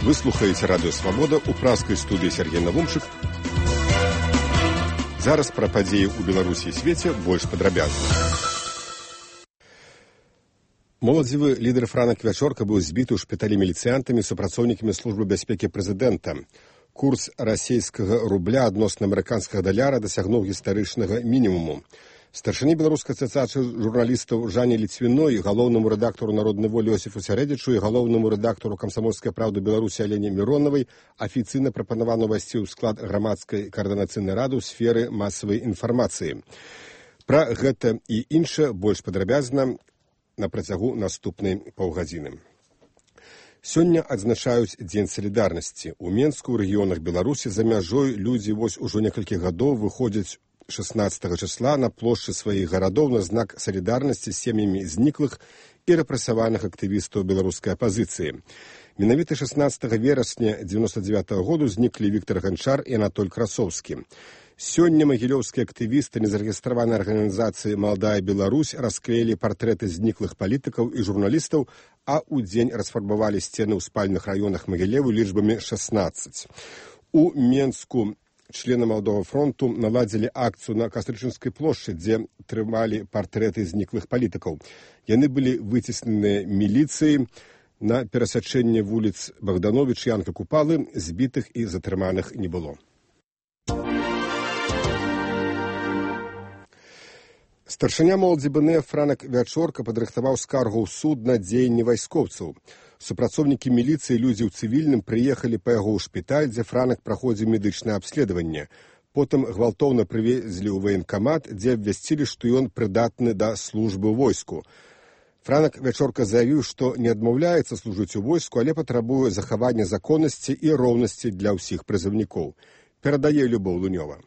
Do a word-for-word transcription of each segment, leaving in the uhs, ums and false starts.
Вы слухаеце радыё Свабода ў пражскай студыі Сергей Навумчык. Зараз пра падзеі ў Беларусі і свеце больш падрабязна. Моладзевы лідар Франак Вячорка быў збіты ў шпіталі міліцыянтамі супрацоўнікамі службы бяспекі прэзідэнта. Курс расійскага рубля адносна амерыканскага даляра дасягнуў гістарычнага мінімуму. Старшыні беларускай асацыяцыі журналістаў Жанне Ліцвіной, галоўнаму рэдактару «Народнай волі» Йосіфу Сярэдзічу і галоўнаму рэдактару «Камсамольскай праўды» Беларусі Алене Міронавай афіцыйна прапанавана ўвайсці ў склад грамадскай каардынацыйнай рады ў сферы масавай інфармацыі. Пра гэта і іншае больш падрабязна на працягу наступнай паўгадзіны. Сёння адзначаюць Дзень салідарнасці. У Менску, ў рэгіёнах Беларусі, за мяжой людзі вось ужо некалькі гадоў выходзяць шаснаццатага числа на плошчы сваіх гарадоў на знак салідарнасці з сем'ямі зніклых і рэпрэсаваных актывістаў беларускай апазіцыі. Менавіта шаснаццатага верасня дзевяноста дзевятага году зніклі Віктар Ганчар і Анатоль Красоўскі. Сёння магілёўскія актывісты незарэгістраванай арганізацыі «Маладая Беларусь» расклеілі партрэты зніклых палітыкаў і журналістаў, а ў дзень расфарбавалі сцены ў спальных раёнах Магілеву лічбамі шаснаццаць. У Менску члены Маладога фронту наладзілі акцыю на Кастрычынскай плошчы, дзе трымалі партрэты зніклых палітыкаў. Яны былі выцесненыя міліцыяй. На перасячэнні вуліц Богданович і Янка Купалы збітых і затрыманых не было. Старшыня моладзі БНФ Франак Вячорка падрыхтаваў скаргу ў суд на дзеянні вайскоўцаў. Супрацоўнікі міліцыі, людзі ў цывільным прыехалі па яго ў шпіталь, дзе Франак праходзіў медычнае абследаванне. Потым гвалтоўна прывезлі ў ваенкамат, дзе абвясцілі, што ён прыдатны да службы ў войску. Франак Вячорка заявіў, што не адмаўляецца служыць у войску, але патрабуе захавання законнасці і роўнасці для ўсіх прызыўнікоў. Перадае Любоў Лунёва.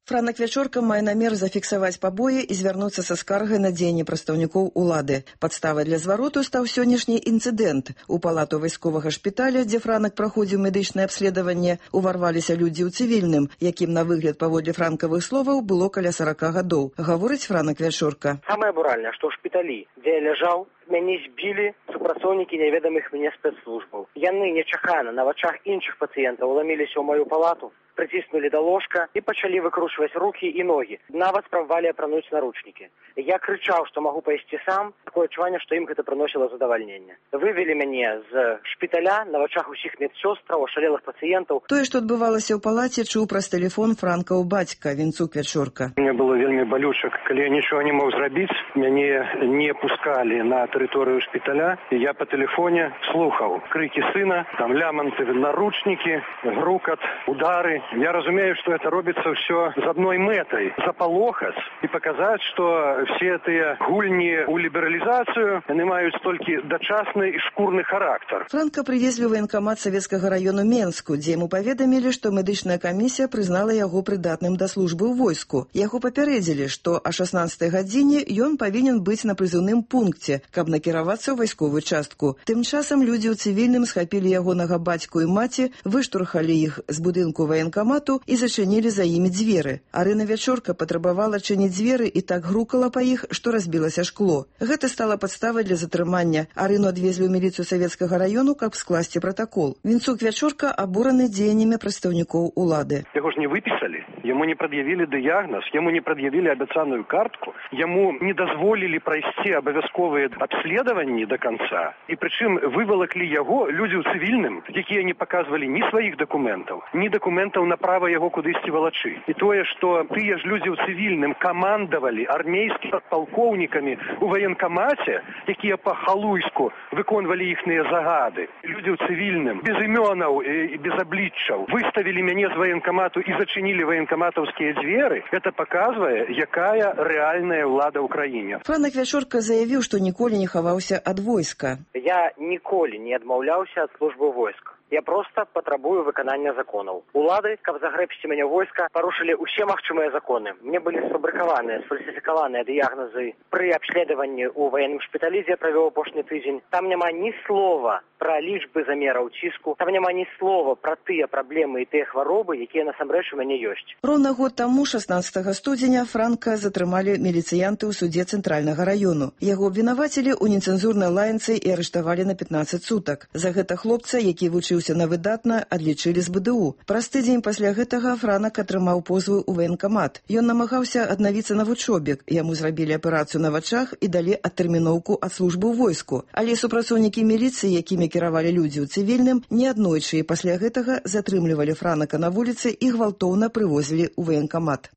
Франак Вячорка мае намер зафіксаваць пабоі і звярнуцца са скаргай на дзеянні прадстаўнікоў улады. Падставай для звароту стаў сённяшні інцыдэнт. У палату вайсковага шпіталя, дзе Франак праходзіў медычнае абследаванне, уварваліся людзі ў цывільным, якім на выгляд паводле франкавых словаў было каля сарака гадоў. Гаворыць Франак Вячорка. Самае буральнае, што ў шпіталі, дзе я ляжаў, мяне збілі супрацоўнікі няведамых мне спецслужбаў. Яны нечакана на вачах іншых пацыентаў уламіліся ў маю палату, прыціснулі да ложка і пачалі выкручваць рукі і ногі. Нават спрабавалі апрануць наручнікі. Я крычаў, што магу пайсці сам, такое адчуванне, што ім гэта прыносіла задавальненне. Вывелі мяне з шпіталя на вачах усіх медсёстраў, ашалелых пацыентаў. Тое, што адбывалася ў палаце, чуў праз тэлефон Франкаў бацька Вінцук Вячорка. Мне было вельмі балюча, калі я нічога не мог зрабіць, мяне не пускалі на тэрыторыю шпіталя, і я па тэлефоне слухаў крыкі сына, там ляманты, наручнікі, грукат, удары. Я разумею, што гэта робіцца ўсё з адной мэтай – запалохаць і паказаць, што все тыя гульні ў лібералізацыю яны маюць толькі дачасны і шкурны характар. Франка прывезлі ў ваенкамат савецкага раёну Менску, дзе яму паведамілі, што медычная камісія прызнала яго прыдатным да службы ў войску. Яго папярэдзілі, што а шаснаццатай гадзіне ён павінен быць на прызыўным пункце, каб накіравацца ў вайсковую частку. Тым часам людзі ў цывільным схапілі ягонага бацьку і маці, выштурхалі іх з будынку ваенкамату і зачынілі за імі дзверы. Арына Вячорка патрабавала чыніць дзверы і так грукала па іх, што разбілася шкло. Гэта стала падставай для затрымання. Арыну адвезлі ў міліцыю савецкага раёну, каб скласці пратакол. Вінцук Вячорка абураны дзеяннямі прадстаўнікоў улады. Яго ж не выпісалі, яму не прад'явілі дыягназ, яму не прад'явілі абяцаную картку, яму не дазволілі прайсці абавязковыя абследаванні да канца. І прычым вывалаклі яго людзі ў цывільным, якія не паказвалі ні сваіх дакументаў, ні дакументаў на права яго кудысьці валачы. І тое, што тыя ж людзі ў цывільным камандавалі армейскімі палкоўнікамі ў ваенкамаце, якія па-халуйску выконвалі іхныя загады. Людзі ў цывільным, без імёнаў і без абліччаў, выставілі мяне з ваенкамату і зачынілі ваенкаматаўскія дзверы. Гэта паказвае, якая рэальная ўлада ў краіне. Франак Вячорка заявіў, што ніколі не хаваўся ад войска. Я ніколі не адмаўляўся ад службы войска. Я проста патрабую выканання законаў. Улады, каб загрэбсці мяне войска, парушылі ўсе магчымыя законы. Мне былі сфабрыкаваныя, сфальсіфікаваныя дыягназы пры абследаванні ў ваенным шпіталі, дзе я правёў апошні тыдзень. Там няма ні слова пра лічбы замераў ціску, там няма ні слова пра тыя праблемы і тыя хваробы, якія насамрэч у мяне ёсць. Роўна год таму, шаснаццатага студзеня, Франка затрымалі міліцыянты ў судзе цэнтральнага раёну. Яго абвінавацілі ў нецэнзурнай лаянцы і арыштавалі на пятнаццаць сутак. За гэта хлопца, які вучыў вучыўся на выдатна, адлічылі з бэ дэ у. Праз тыдзень пасля гэтага Франак атрымаў позву ў ваенкамат. Ён намагаўся аднавіцца на вучобе. Яму зрабілі аперацыю на вачах і далі адтэрміноўку ад службы ў войску. Але супрацоўнікі міліцыі, якімі кіравалі людзі ў цывільным, неаднойчы і пасля гэтага затрымлівалі Франака на вуліцы і гвалтоўна прывозілі ў ваенкамат.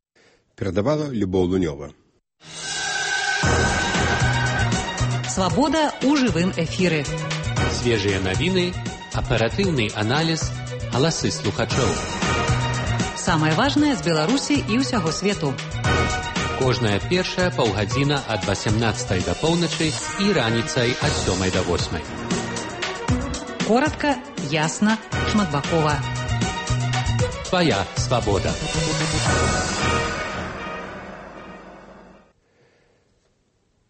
Перадавала Любоў Лунёва. Свабода ў жывым эфіры. Свежыя навіны, аператыўны аналіз, галасы слухачоў. Самае важнае з Беларусі і ўсяго свету. Кожная першая паўгадзіна ад васямнаццатай да поўначы і раніцай ад сёмай да восьмай. Коратка, ясна, шматбакова. Твая свабода.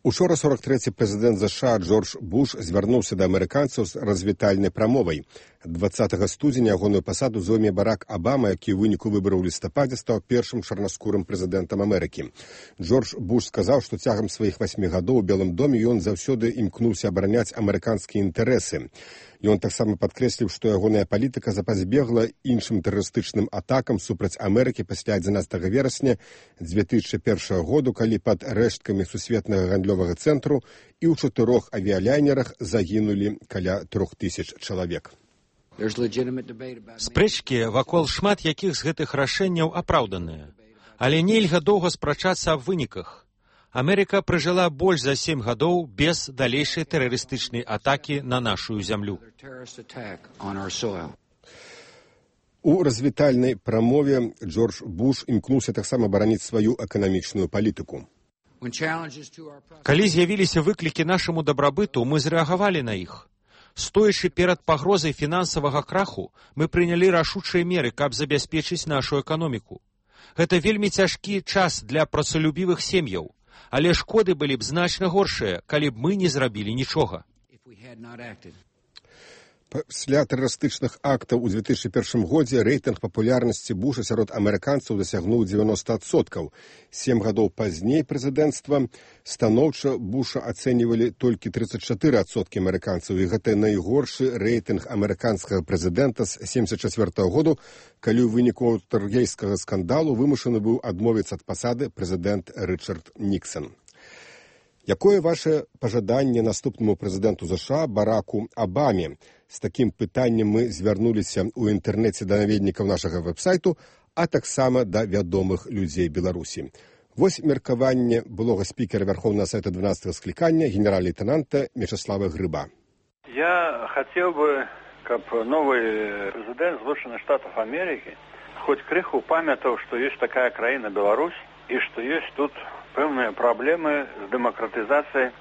Учора сорок трэці прэзідэнт ЗША Джордж Буш звярнуўся да амерыканцаў з развітальнай прамовай. дваццатага студзеня ягоную пасаду зойме Барак Абама, які ў выніку выбараў у лістападзе стаў першым чарнаскурым прэзідэнтам Амерыкі. Джордж Буш сказаў, што цягам сваіх васьмі гадоў у Белым доме ён заўсёды імкнуўся абараняць амерыканскія інтарэсы. Ён таксама падкрэсліў, што ягоная палітыка запазбегла іншым тэрарыстычным атакам супраць Амерыкі пасля адзінаццатага верасня дзве тысячы першага году, калі пад рэшткамі сусветнага гандлёвага цэнтру і ў чатырох авіялайнерах загінулі каля трох тысяч чалавек. Спрэчкі вакол шмат якіх з гэтых рашэнняў апраўданыя, але нельга доўга спрачацца аб выніках. Амерыка пражыла больш за сем гадоў без далейшай тэрарыстычнай атакі на нашу зямлю. У развітальнай прамове Джордж Буш імкнуўся таксама бараніць сваю эканамічную палітыку. Калі з'явіліся выклікі нашаму дабрабыту, мы зрэагавалі на іх. Стоячы перад пагрозай фінансавага краху, мы прынялі рашучыя меры, каб забяспечыць нашу эканоміку. Гэта вельмі цяжкі час для працалюбівых сем'яў, але шкоды былі б значна горшыя, калі б мы не зрабілі нічога. Пасля тэрарыстычных актаў у дзве тысячы першым годзе рэйтынг папулярнасці Буша сярод амерыканцаў дасягнуў дзевяноста адсоткаў. Сем гадоў пазней прэзідэнцтва станоўча Буша ацэньвалі толькі трыццаць чатыры адсоткі амерыканцаў, і гэта найгоршы рэйтынг амерыканскага прэзідэнта з семдзесят чацвёртага году, калі ў выніку вотэргейскага скандалу вымушаны быў адмовіцца ад пасады прэзідэнт Рычард Ніксан. Якое ваше пажаданне наступнаму прэзідэнту ЗША Бараку Абаме? З такім пытаннем мы звярнуліся ў інтэрнэце да наведнікаў нашага вэб-сайту, а таксама да вядомых людзей Беларусі. Вось меркаванне былога спікера Верховнага Совета дванадцатага склікання генерал-лейтенанта Мечислава Грыба. Я хотел бы, как новый президент Соединенных Штатов Америки, хоть крыху памятал, что есть такая краина Беларусь, и что есть тут певные проблемы с демократизацией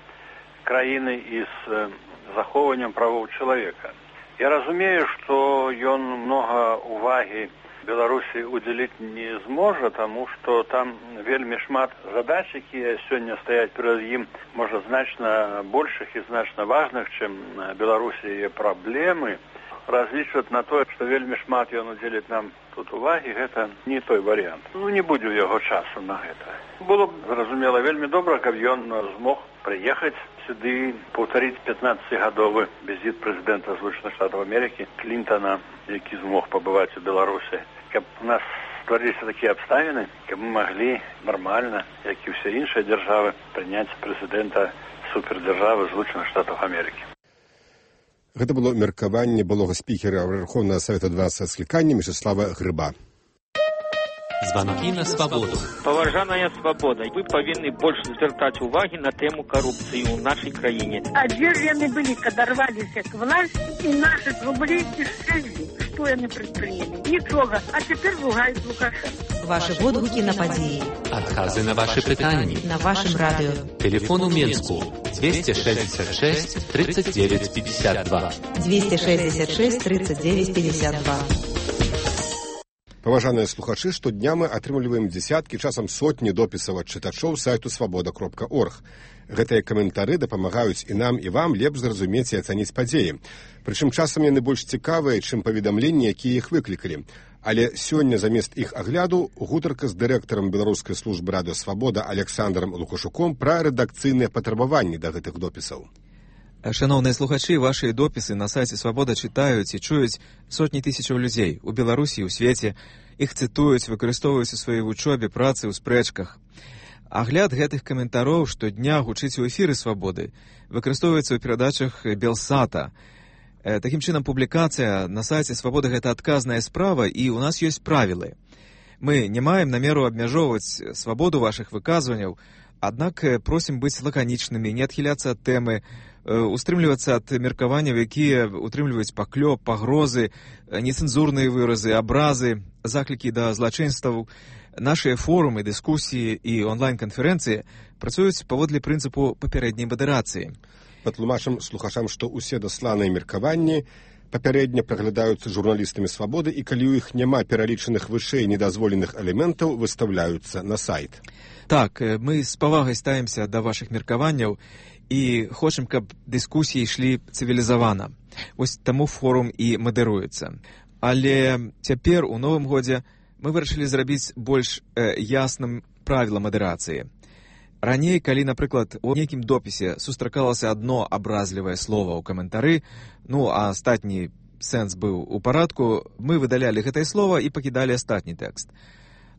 краины и с захоўваннем правоў чалавека. Я разумею, што ён многа увагі Беларусі удзяліць не зможа, таму што там вельмі шмат задач, якія сёння стаяць перад ім, можа, значна большых і значна важных, чым Беларусі яе праблемы. Разлічваць на тое, што вельмі шмат ён удзеліць нам тут увагі, гэта не той варыянт. Ну, не будзе ў яго часу на гэта. Было б, зразумела, вельмі добра, каб ён змог прыехаць сюды, паўтарыць пятнаццацігадовы візіт прэзідэнта Злучаных Штатаў Амерыкі Клінтона, які змог пабываць у Беларусі. Каб у нас стварыліся такія абставіны, каб мы маглі нармальна, як і ўсе іншыя дзяржавы, прыняць прэзідэнта супердзяржавы Злучаных Штатаў Амерыкі. Гэта было меркаванне былога спікера Верховнага Совета дванадцатага склікання Мечислава Грыба. Звонки на свободу. Поважаная свобода, вы повинны больше звертать уваги на тему коррупции в нашей краине. А где же они были, когда рвались к власти, и наши рублей дешевле? Что они предприняли? Ничего. А теперь ругают Лукашенко. Ваши водгуки на подеи. Отказы на ваши питания. На вашем радио. Телефон у Менску двести шестьдесят шесть тридцать девять пятьдесят два. двести шестьдесят шесть тридцать девять пятьдесят два. Паважаныя слухачы, штодня мы атрымліваем дзесяткі, часам сотні допісаў ад чытачоў сайту свабода кропка орг. Гэтыя каментары дапамагаюць і нам, і вам лепш зразумець і ацаніць падзеі. Прычым часам яны больш цікавыя, чым паведамленні, якія іх выклікалі. Але сёння замест іх агляду гутарка з дырэктарам беларускай службы радыё «Свабода» Александром Лукашуком пра рэдакцыйныя патрабаванні да гэтых допісаў. Шановные слухачи, ваши дописы на сайте «Свобода» читаюць і чуюць сотні тысячаў людзей у Беларусі і ў свеце. Іх цытуюць, выкарыстоўваюць у сваёй вучобе, працы, у спрэчках. Агляд гэтых каментароў штодня гучыць у эфіры «Свабоды», выкарыстоўваецца ў перадачах Белсата. Такім чынам, публікацыя на сайце «Свабода» — гэта адказная справа, і ў нас ёсць правілы. Мы не маем намеру абмяжоўваць свабоду вашых выказванняў, аднак просім быць лаканічнымі, не адхіляцца ад тэмы, устрымлівацца ад меркаванняў, якія утрымліваюць паклёп, пагрозы, нецэнзурныя выразы, абразы, заклікі да злачынстваў. Нашыя форумы, дыскусіі і онлайн-канферэнцыі працуюць паводле прынцыпу папярэдняй мадэрацыі. Патлумачым слухачам, што ўсе дасланыя меркаванні папярэдне праглядаюцца журналістамі «Свабоды», і калі ў іх няма пералічаных вышэй недазволеных элементаў, выстаўляюцца на сайт. Так, мы з павагай ставімся да вашых меркаванняў і хочам, каб дыскусіі ішлі цывілізавана. Вось таму форум і мадэруецца. Але цяпер, у новым годзе, мы вырашылі зрабіць больш э, ясным правіла мадэрацыі. Раней, калі, напрыклад, у нейкім допісе сустракалася адно абразлівае слова ў каментары, ну, а астатні сэнс быў у парадку, мы выдалялі гэтае слова і пакідалі астатні тэкст.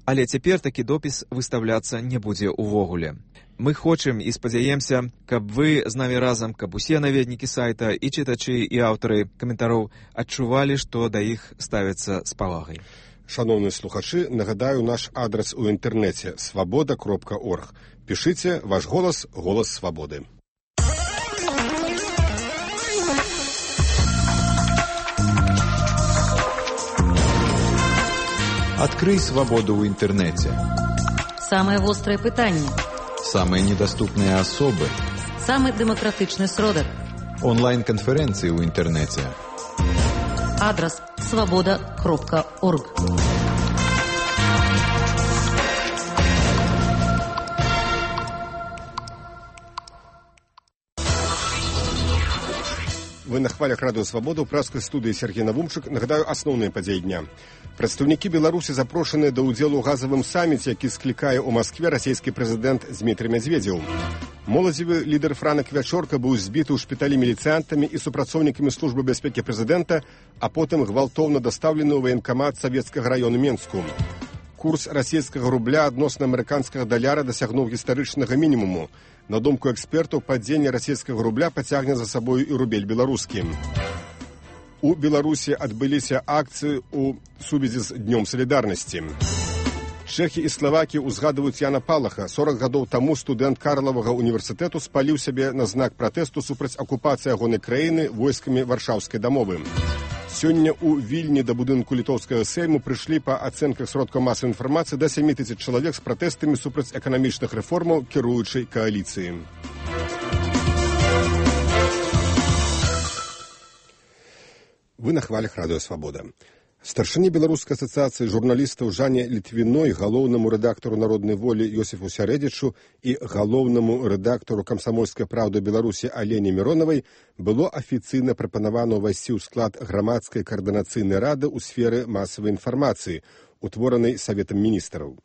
Але цяпер такі допіс выставляцца не будзе ўвогуле. Мы хочам і спадзяемся, каб вы з намі разам, каб усе наведнікі сайта, і чытачы, і аўтары каментароў адчувалі, што да іх ставяцца з павагай. Шановныя слухачы, нагадаю наш адрес у інтэрнэце свабода кропка орг. Пішыце ваш голас, голас свабоды. Открой свободу в интернете. Самые острые пытания. Самые недоступные особы. Самый демократичный сродок. Онлайн-конференции в интернете. Адрес свобода кропка орг. Вы на хвалях радыё «Свабода» ў пражскай студыі Сергей Навумчык. Нагадаю асноўныя падзеі дня. Прадстаўнікі Беларусі запрошаныя да ўдзелу ў газавым саміце, які склікае ў Маскве расійскі прэзідэнт Дзмітрый Медзведзеў. Моладзевы лідар Франак Вячорка быў збіты ў шпіталі міліцыянтамі і супрацоўнікамі службы бяспекі прэзідэнта, а потым гвалтоўна дастаўлены ў ваенкамат савецкага раёну Менску. Курс расійскага рубля адносна амерыканскага даляра дасягнуў гістарычнага мінімуму. На думку экспертаў, падзенне расійскага рубля пацягне за сабою і рубель беларускі. У Беларусі адбыліся акцыі ў сувязі з Днём салідарнасці. Чэхі і Славакі ўзгадваюць Яна Палаха. сорак гадоў таму студэнт Карлавага універсітэту спаліў сябе на знак пратэсту супраць акупацыі ягонай краіны войскамі варшаўскай дамовы. Сёння ў Вільні да будынку літоўскага сейму прыйшлі па ацэнках сродкаў масавай інфармацыі да сем тысяч чалавек з пратэстамі супраць эканамічных рэформаў кіруючай кааліцыі. Вы на хвалях радыё «Свабода». Старшыні беларускай асацыяцыі журналістаў Жанне Літвіной, галоўнаму рэдактару «Народнай волі» Йосіфу Сярэдзічу і галоўнаму рэдактару «Камсамольскай праўды» Беларусі Алене Міронавай было афіцыйна прапанавана ўвайсці ў склад грамадскай каардынацыйнай рады ў сферы масавай інфармацыі, утворанай Саветам міністраў.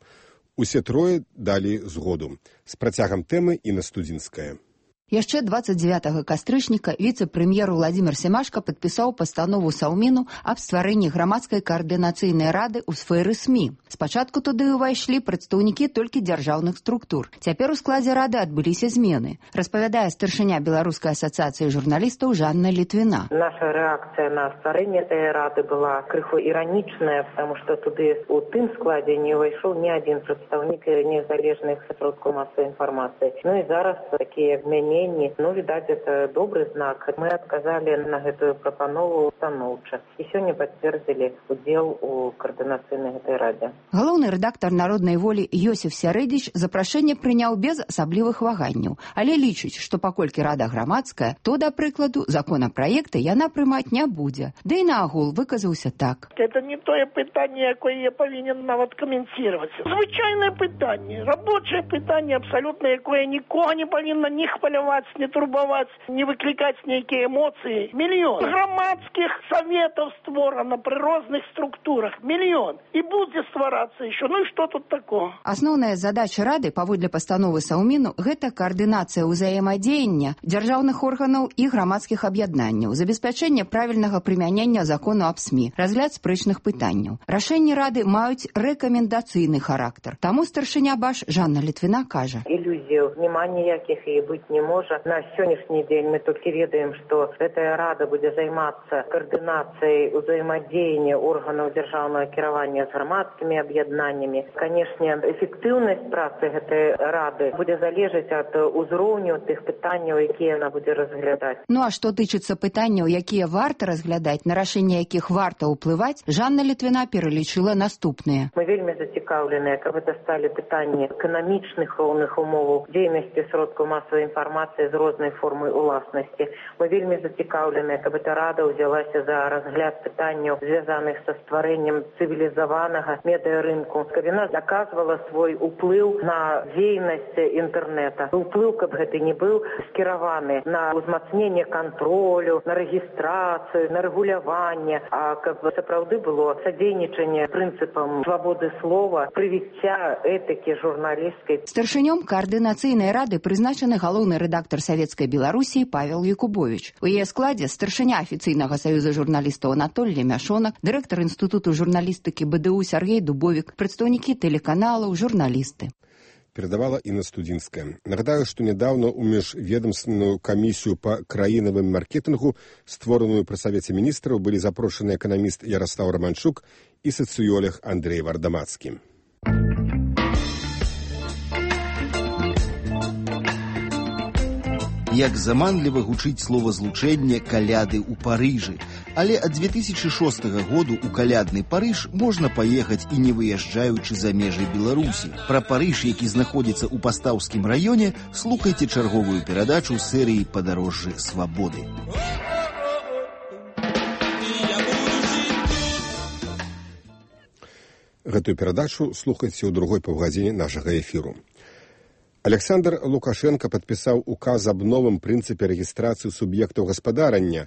Усе трое далі згоду. З працягам тэмы Інна Студзінская. Яшчэ двадцать девятого кастрычніка віцэ-прэм'ер Владзімір Семашка падпісаў пастанову Саўміну аб стварэнні грамадскай каардынацыйнай рады ў сферы СМІ. Спачатку туды ўвайшлі прадстаўнікі толькі дзяржаўных структур. Цяпер у складзе рады адбыліся змены. Распавядае старшыня Беларускай асацыяцыі журналістаў Жанна Літвіна. Наша рэакцыя на стварэнне этой рады была крыху іранічная, потому что туды у тым складзе не ўвайшоў ні адзін прадстаўнік незалежных сродкаў масавай інфармацыі. Ну і зараз такія змены. Ну, відаць, это добрый знак. Мы адказалі на гэтую прапанову станоўча. І сёння пацвердзілі удзел у каардынацыйнай гэтай радзе. Галоўны рэдактар «Народнай волі» Йосіф Сярэдзіч запрашэнне прыняў без асаблівых ваганняў, але лічыць, што паколькі рада грамадская, то, да прыкладу, законапраекты яна прымаць не будзе. Да і наогул выказаўся так. Это не тое пытанне, якое я павінен нават каментировать. Звычайнае пытанне, рабочае пытанне абсалютна, якое нікога не павінна ні хваляваць, хваляваць, не турбаваць, не выклікаць нейкія эмоцыі. Мільён. Грамадскіх саветаў створана пры розных структурах. Мільён. І будзе стварацца еще. Ну і што тут такого? Асноўная задача Рады, паводле пастановы Саўміну, гэта каардынацыя ўзаемадзеяння дзяржаўных органаў і грамадскіх аб'яднанняў, забеспячэнне правільнага прымянення закону аб СМІ, разгляд спрэчных пытанняў. Рашэнні Рады маюць рэкамендацыйны характар. Таму старшыня БАШ Жанна Літвіна кажа. Ілюзіяў няма ніякіх і быць не можа. На сённяшні дзень мы толькі ведаем, што гэтая Рада будзе займацца каардынацыяй узаемадзеяння органаў дзяржаўнага кіравання з грамадскімі аб'яднаннямі. Канешне, эфектыўнасць працы гэтай Рады будзе залежаць ад узроўню тых пытанняў, якія яна будзе разглядаць. Ну а што тычыцца пытанняў, якія варта разглядаць, на рашэнне якіх варта ўплываць, Жанна Літвіна пералічыла наступныя. Мы вельмі зацікаўленыя, каб гэта сталі пытанні эканамічных роўных умоваў дзейнасці сродкаў масавай інфармацыі з рознай формай уласнасці. Мы вельмі зацікаўленыя, каб эта Рада ўзялася за разгляд пытанняў, звязаных са стварэннем цывілізаванага медыарынку, каб яна даказвала свой уплыў на дзейнасць інтэрнэта. Уплыў, каб гэта не быў скіраваны на ўзмацненне кантролю, на рэгістрацыю, на рэгуляванне, а каб сапраўды было садзейнічанне прынцыпам свабоды слова, прывіцця этыкі журналісцкай. Старшынём каардынацыйнай рады прызначаны галоўны рэдактар Савецкай Беларусі Павел Якубович. У яе складзе старшыня афіцыйнага саюза журналістаў Анатолій Мяшонак, дырэктар інстытуту журналістыкі БДУ Сергей Дубовік, прадстаўнікі тэлеканалаў, журналісты. Передавала Інна Студзінская. Нагадаю, што нядаўна ў міжведамственную камісію па краінавым маркетынгу, створаную пры Савеце міністраў, былі запрошаны эканаміст Ярослав Романчук і сацыёлог Андрей Вардамацкі. Як заманліва гучыць словазлучэнне «каляды ў Парыжы». Але ад дзве тысячы шостага году ў калядны Парыж можна паехаць і не выязджаючы за межы Беларусі. Пра Парыж, які знаходзіцца ў Пастаўскім раёне, слухайце чарговую перадачу серыі «Падарожжы свабоды». Гэтую перадачу слухайце ў другой паўгадзіне нашага эфіру. Александр Лукашенко падпісаў указ аб новым прынцыпе рэгістрацыі суб'ектаў гаспадарання,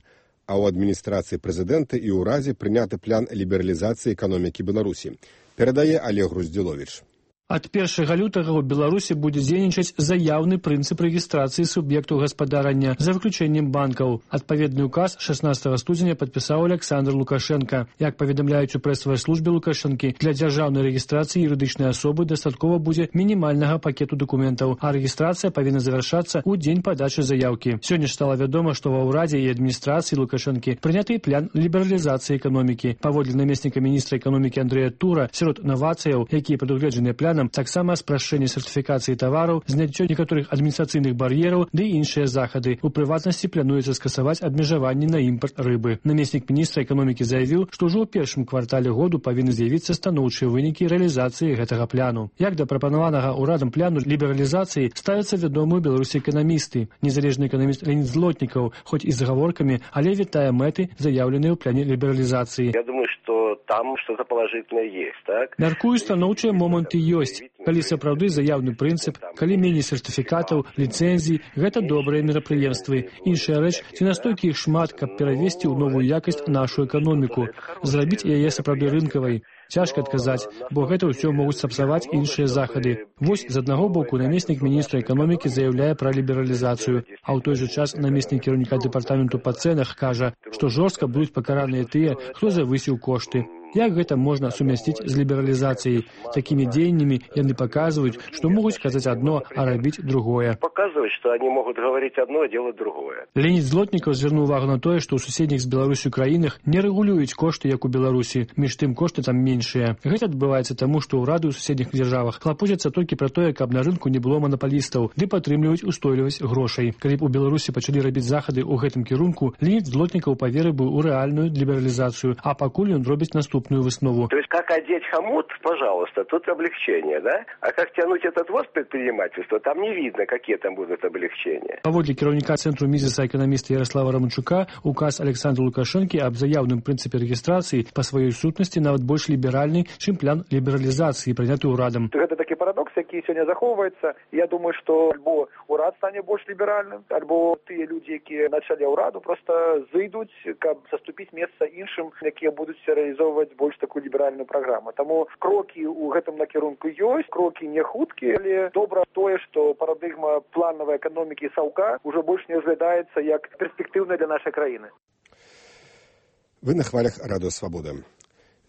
а ў адміністрацыі прэзідэнта і ўрадзе прыняты план лібералізацыі эканомікі Беларусі. Перадае Олег Груздзіловіч. Ад першага лютага ў Беларусі будзе дзейнічаць заяўны прынцып рэгістрацыі суб'ектаў гаспадарання за выключэннем банкаў. Адпаведны указ шаснаццатага студзеня падпісаў Александр Лукашенко. Як паведамляюць у прэсавай службе Лукашэнкі, для дзяржаўнай рэгістрацыі юрыдычнай асобы дастаткова будзе мінімальнага пакету дакументаў, а рэгістрацыя павінна завяршацца ў дзень падачы заяўкі. Сёння ж стала вядома, што ва ўрадзе і адміністрацыі Лукашэнкі прыняты план лібералізацыі эканомікі. Паводле намесніка міністра эканомікі Андрэя Тура, сярод навацыяў, якія прадугледжаныя планам, таксама спрашчэнне сертыфікацыі тавараў, зняццё некаторых адміністрацыйных бар'ераў ды іншыя захады. У прыватнасці плануецца скасаваць абмежаванні на імпарт рыбы. Намеснік міністра эканомікі заявіў, што ўжо ў першым квартале году павінны з'явіцца станоўчыя вынікі рэалізацыі гэтага пляну. Як да прапанаванага ўрадам пляну лібералізацыі ставяцца вядомыя ў Беларусі эканамісты. Незалежны эканаміст Леонид Злотнікаў, хоць і з агаворкамі, але вітае мэты, заяўленыя ў пляне лібералізацыі. Я думаю, что там что-то положительное есть, так? Мяркую, станоўчыя моманты ёсць. Калі сапраўды заяўны прынцып, калі меней сертыфікатаў, ліцэнзій, гэта добрыя мерапрыемствы. Іншая рэч, ці настолькі іх шмат, каб перавесці ў новую якасць нашу эканоміку, зрабіць яе сапраўды рынкавай. Цяжка адказаць, бо гэта ўсё могуць сапсаваць іншыя захады. Вось, з аднаго боку, намеснік міністра эканомікі заяўляе пра лібералізацыю, а ў той жа час намеснік кіраўніка дэпартаменту па цэнах кажа, што жорстка будуць пакараныя тыя, хто завысіў кошты. Як гэта можна сумясціць з лібералізацыяй? Такімі дзеяннямі яны паказваюць, што могуць казаць адно, а рабіць другое. Показваюць, што они могуць гаварыць адно, а делать другое. Леонид Злотнікаў звярнуў увагу на тое, што ў суседніх з Беларусю краінах не рэгулююць кошты, як у Беларусі. Між тым кошты там меншыя. Гэта адбываецца таму, што ўрады ў суседніх дзяржавах клапоцяцца толькі пра тое, каб на рынку не было манапалістаў, ды падтрымліваюць устойлівасць грошай. Калі б у Беларусі пачалі рабіць захады ў гэтым кірунку, Леонид Злотнікаў паверыў бы ў рэальную лібералізацыю, а пакуль ён робіць наступнае. наступную выснову. То есть как одеть хомут, пожалуйста, тут облегчение, да? А как тянуть этот воз предпринимательства, там не видно, какие там будут облегчения. Паводле кіраўніка цэнтру мізіса эканаміста Ярослава Раманчука, указ Александра Лукашэнкі аб заяўным прынцыпе рэгістрацыі па сваёй сутнасці нават больш ліберальны, чым план лібералізацыі, прыняты ўрадам. Гэта такі парадокс, які сёння захоўваецца. Я думаю, што альбо ўрад стане больш ліберальным, альбо тыя людзі, якія на чале ўраду, проста зайдуць, каб заступіць месца іншым, якія будуць рэалізоўваць больш такую ліберальную праграму. Таму крокі ў гэтым накірунку ёсць, крокі не хуткія, але добра тое, што парадыгма планавай эканомікі саўка ўжо больш не разглядаецца як перспектыўная для нашай краіны. Вы на хвалях Радыё Свабода.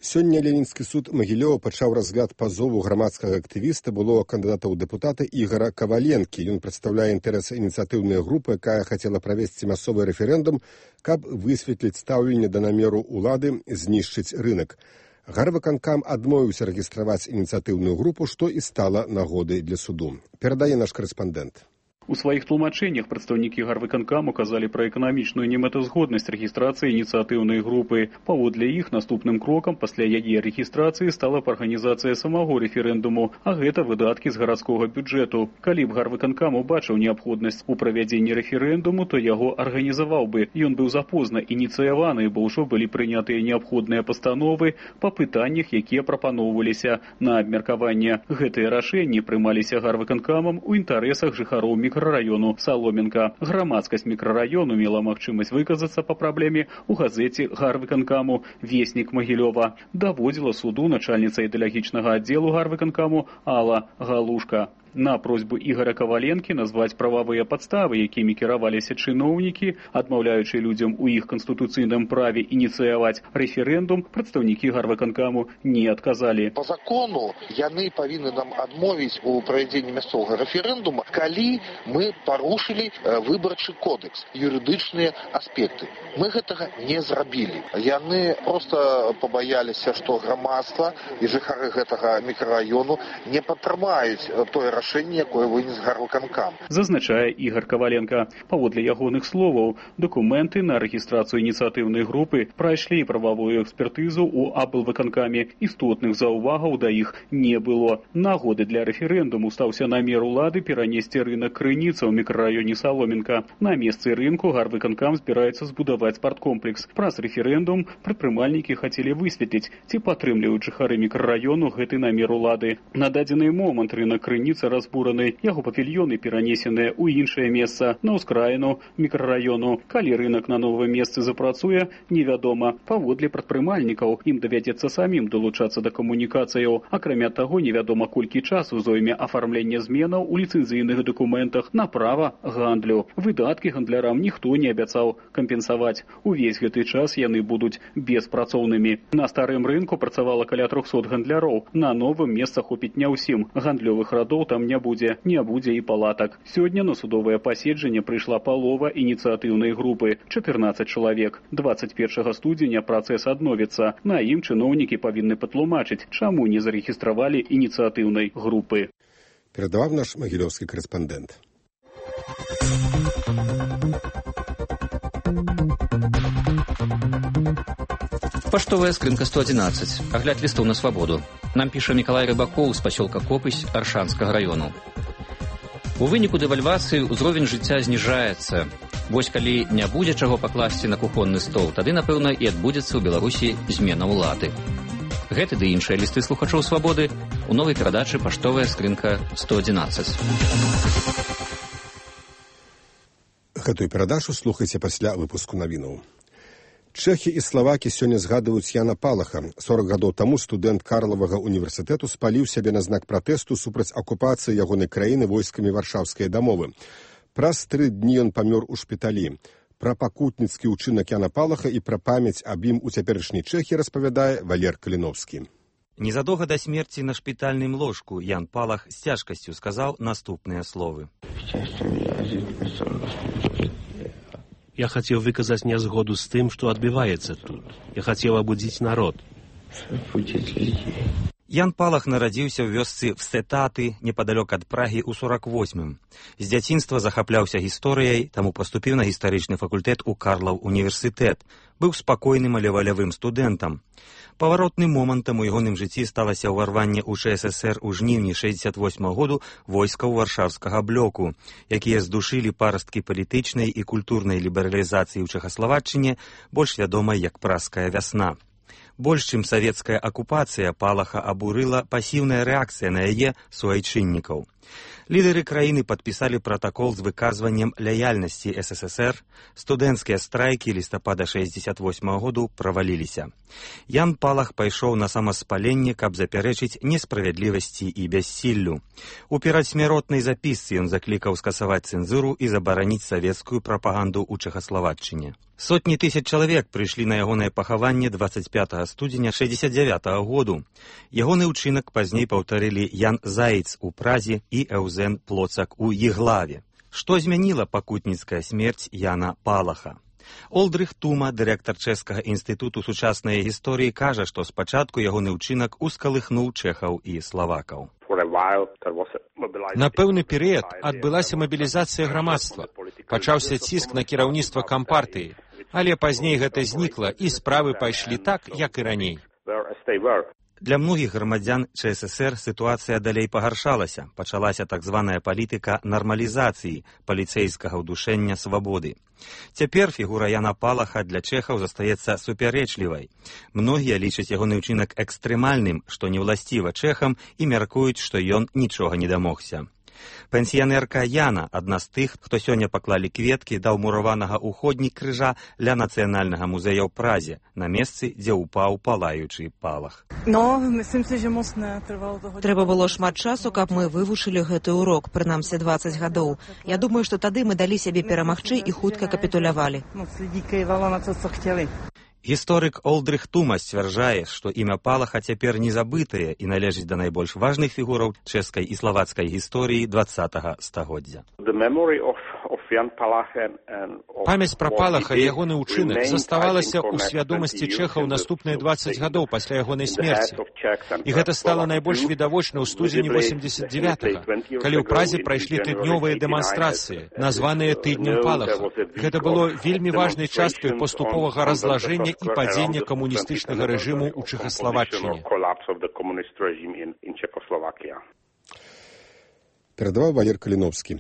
Сёння Ленінскі суд Магілёва пачаў разгляд пазову грамадскага актывіста былога кандыдата ў дэпутаты Ігара Каваленкі. Ён прадстаўляе інтарэсы ініцыятыўнай групы, якая хацела правесці мясцовы рэферэндум, каб высветліць стаўленне да намеру ўлады знішчыць рынак. Гарвыканкам адмовіўся рэгістраваць ініцыятыўную групу, што і стала нагодай для суду. Перадае наш корэспандэнт. У сваіх тлумачэннях прадстаўнікі гарвыканкаму казалі пра эканамічную немэтазгоднасць рэгістрацыі ініцыятыўнай групы. Паводле іх наступным крокам пасля яе рэгістрацыі стала б арганізацыя самого рэферэндуму, а гэта выдаткі з гарадскога бюджэту. Калі б гарвыканкам убачыў неабходнасць у правядзенні рэферэндуму, то яго арганізаваў бы. Ён быў запозна ініцыяваны, бо ўжо былі прынятыя неабходныя пастановы па пытаннях, якія прапаноўваліся на абмеркаванне. Гэтыя рашэнні прымаліся гарвыканкамам у інтарэсах жыхароў мікрараёну Саломенка. Грамадскасць мікрараёну мела магчымасць выказацца па праблеме ў газеце гарвыканкаму «Веснік Магілёва». Даводзіла суду начальніца ідэалагічнага аддзелу гарвыканкаму Алла Галушка. На просьбу Ігора Каваленкі назваць прававыя падставы, якімі кіраваліся чыноўнікі, адмаўляючы людзям у іх канстытуцыйным праве ініцыяваць рэферэндум, прадстаўнікі гарвыканкаму не адказалі. Па закону яны павінны нам адмовіць у правядзенні мясцовага рэферэндума, калі мы парушылі выбарчы кодекс, юрыдычныя аспекты. Мы гэтага не зрабілі. Яны проста пабаяліся, што грамадства і жыхары гэтага мікрараёну не падтрымаюць тое рашэнне, якое вынес гарвыканкам. Зазначае Ігар Каваленка. Паводле ягоных словаў, дакументы на рэгістрацыю ініцыятыўнай групы прайшлі прававую экспертызу ў аблвыканкаме. Істотных заўвагаў да іх не было. Нагоды для рэферэндуму стаўся намер улады перанесці рынак крыніца ў мікрараёне Саломенка. На месцы рынку гарвыканкам збіраецца збудаваць спарткомплекс. Праз рэферэндум прадпрымальнікі хацелі высветліць, ці падтрымліваюць жыхары мікрараёну гэты намер улады. На дадзены момант рынак крыніца разбураны, яго павільёны перанесеныя ў іншае месца, на ўскраіну мікрараёну. Калі рынак на новым месцы запрацуе, невядома. Паводле прадпрымальнікаў ім давядзецца самім далучацца да камунікацыяў. Акрамя таго, невядома колькі часу зойме афармленне зменаў у ліцэнзійных дакументах на права гандлю. Выдаткі гандлярам ніхто не абяцаў кампенсаваць. Увесь гэты час яны будуць беспрацоўнымі. На старым рынку працавала каля трохсот гандляроў. На новым месца хопіць не ўсім. Гандлёвых радоў там не будзе, не будзе і палатак. Сёння на судовае паседжанне прыйшла палова ініцыятыўнай групы, чатырнаццаць чалавек. дваццаць першага студзеня працэс адновіцца. На ім чыноўнікі павінны патлумачыць, чаму не зарэгістравалі ініцыятыўнай групы. Перадаваў наш магілёўскі корэспандэнт. Паштовая скрынка сто адзінаццаць. Агляд лістаў на свабоду. Нам піша Мікалай Рыбакоў з пасёлка Копысь Аршанскага раёну. У выніку дэвальвацыі ўзровень жыцця зніжаецца. Вось калі не будзе чаго пакласці на кухонны стол, тады, напэўна, і адбудзецца ў Беларусі змена ўлады. Гэты ды іншыя лісты слухачоў свабоды у новай перадачы «Паштовая скрынка сто адзінаццаць». Гэтую перадачу слухайце пасля выпуску навінаў. Чэхі і славакі сёння згадваюць Яна Палаха. сорак гадоў таму студэнт Карлавага універсітэту спаліў сябе на знак пратэсту супраць акупацыі ягонай краіны войскамі варшаўскай дамовы. Праз тры дні ён памёр у шпіталі. Пра пакутніцкі ўчынак Яна Палаха і пра памяць аб ім у цяперашняй Чэхі распавядае Валер Каліновскі. Незадоўга да смерці на шпітальным ложку Ян Палах з цяжкасцю сказаў наступныя словы. Я хотел выказать незгоду с тем, что отбивается тут. Я хотел обудить народ. Ян Палах нарадзіўся ў вёсцы Встетаты, непадалёк ад Прагі ў сорак восьмым. З дзяцінства захапляўся гісторыяй, таму паступіў на гістарычны факультэт у Карлаў універсітэт. Быў спакойным, але валявым студэнтам. Паваротным момантам у ягоным жыцці сталася ўварванне ў ЧССР у жніўні шэсцьдзесят восьмага году войскаў варшаўскага блоку, якія здушылі парасткі палітычнай і культурнай лібералізацыі ў Чэхаславаччыне, больш вядомай як Празская вясна. Больш чым савецкая акупацыя Палаха абурыла пасіўная рэакцыя на яе суайчыннікаў. Лідары краіны падпісалі пратакол з выказваннем лаяльнасці СССР, студэнцкія страйкі лістапада шэсцьдесят восьмага году праваліліся. Ян Палах пайшоў на самаспаленне, каб запярэчыць несправядлівасці і бяссіллю. У перадсмяротнай запісцы ён заклікаў скасаваць цэнзуру і забараніць савецкую прапаганду ў Чэхаславаччыне. Сотні тысяч чалавек прыйшлі на ягонае пахаванне дваццаць пятага студзеня шэсцьдесят дзявятага году. Ягоны ўчынак пазней паўтарылі Ян Заіц у Празе і Эўзен Плоцак у Еглаве. Што змяніла пакутніцкая смерць Яна Палаха? Олдрых Тума, дырэктар Чэшскага інстытуту сучаснай гісторыі, кажа, што спачатку ягоны ўчынак ускалыхнуў чэхаў і славакаў. На пэўны перыяд адбылася мабілізацыя грамадства. Пачаўся ціск на кіраўніцтва кампартыі, але пазней гэта знікла, і справы пайшлі так, як і раней. Для многіх грамадзян ЧССР сітуацыя далей пагаршалася. Пачалася так званая палітыка нармалізацыі, паліцэйскага ўдушэння свабоды. Цяпер фігура Яна Палаха для чэхаў застаецца супярэчлівай. Многія лічаць ягоны ўчынак экстрэмальным, што не ўласціва чэхам, і мяркуюць, што ён нічога не дамогся. Пенсіянерка Яна, адна з тых, хто сёння паклалі кветкі да ўмураванага ўходнік крыжа ля Нацыянальнага музея ў Празе, на месцы, дзе ўпаў палаючы Палах. Трэба было шмат часу, каб мы вывучылі гэты урок, прынамсі дваццаць гадоў. Я думаю, што тады мы далі сябе перамагчы і хутка капітулявалі. Гісторык Олдрых Тума сцвярджае, што імя Палаха цяпер не забытае і належыць да найбольш важных фігураў чэшскай і славацкай гісторыі дваццатага стагоддзя. Памяць пра Палаха і ягоны ўчынак заставалася ў свядомасці чэхаў наступныя дваццаць гадоў пасля ягонай смерці. І гэта стала найбольш відавочна ў студзені восемьдесят девятага, калі ў Празе прайшлі тыднёвыя дэманстрацыі, названыя тыднем Палаха. Гэта было вельмі важнай часткай паступовага разлажэння і падзення камуністычнага рэжыму ў Чэхаславаччыне. Перадаваў Валер Каліновскі.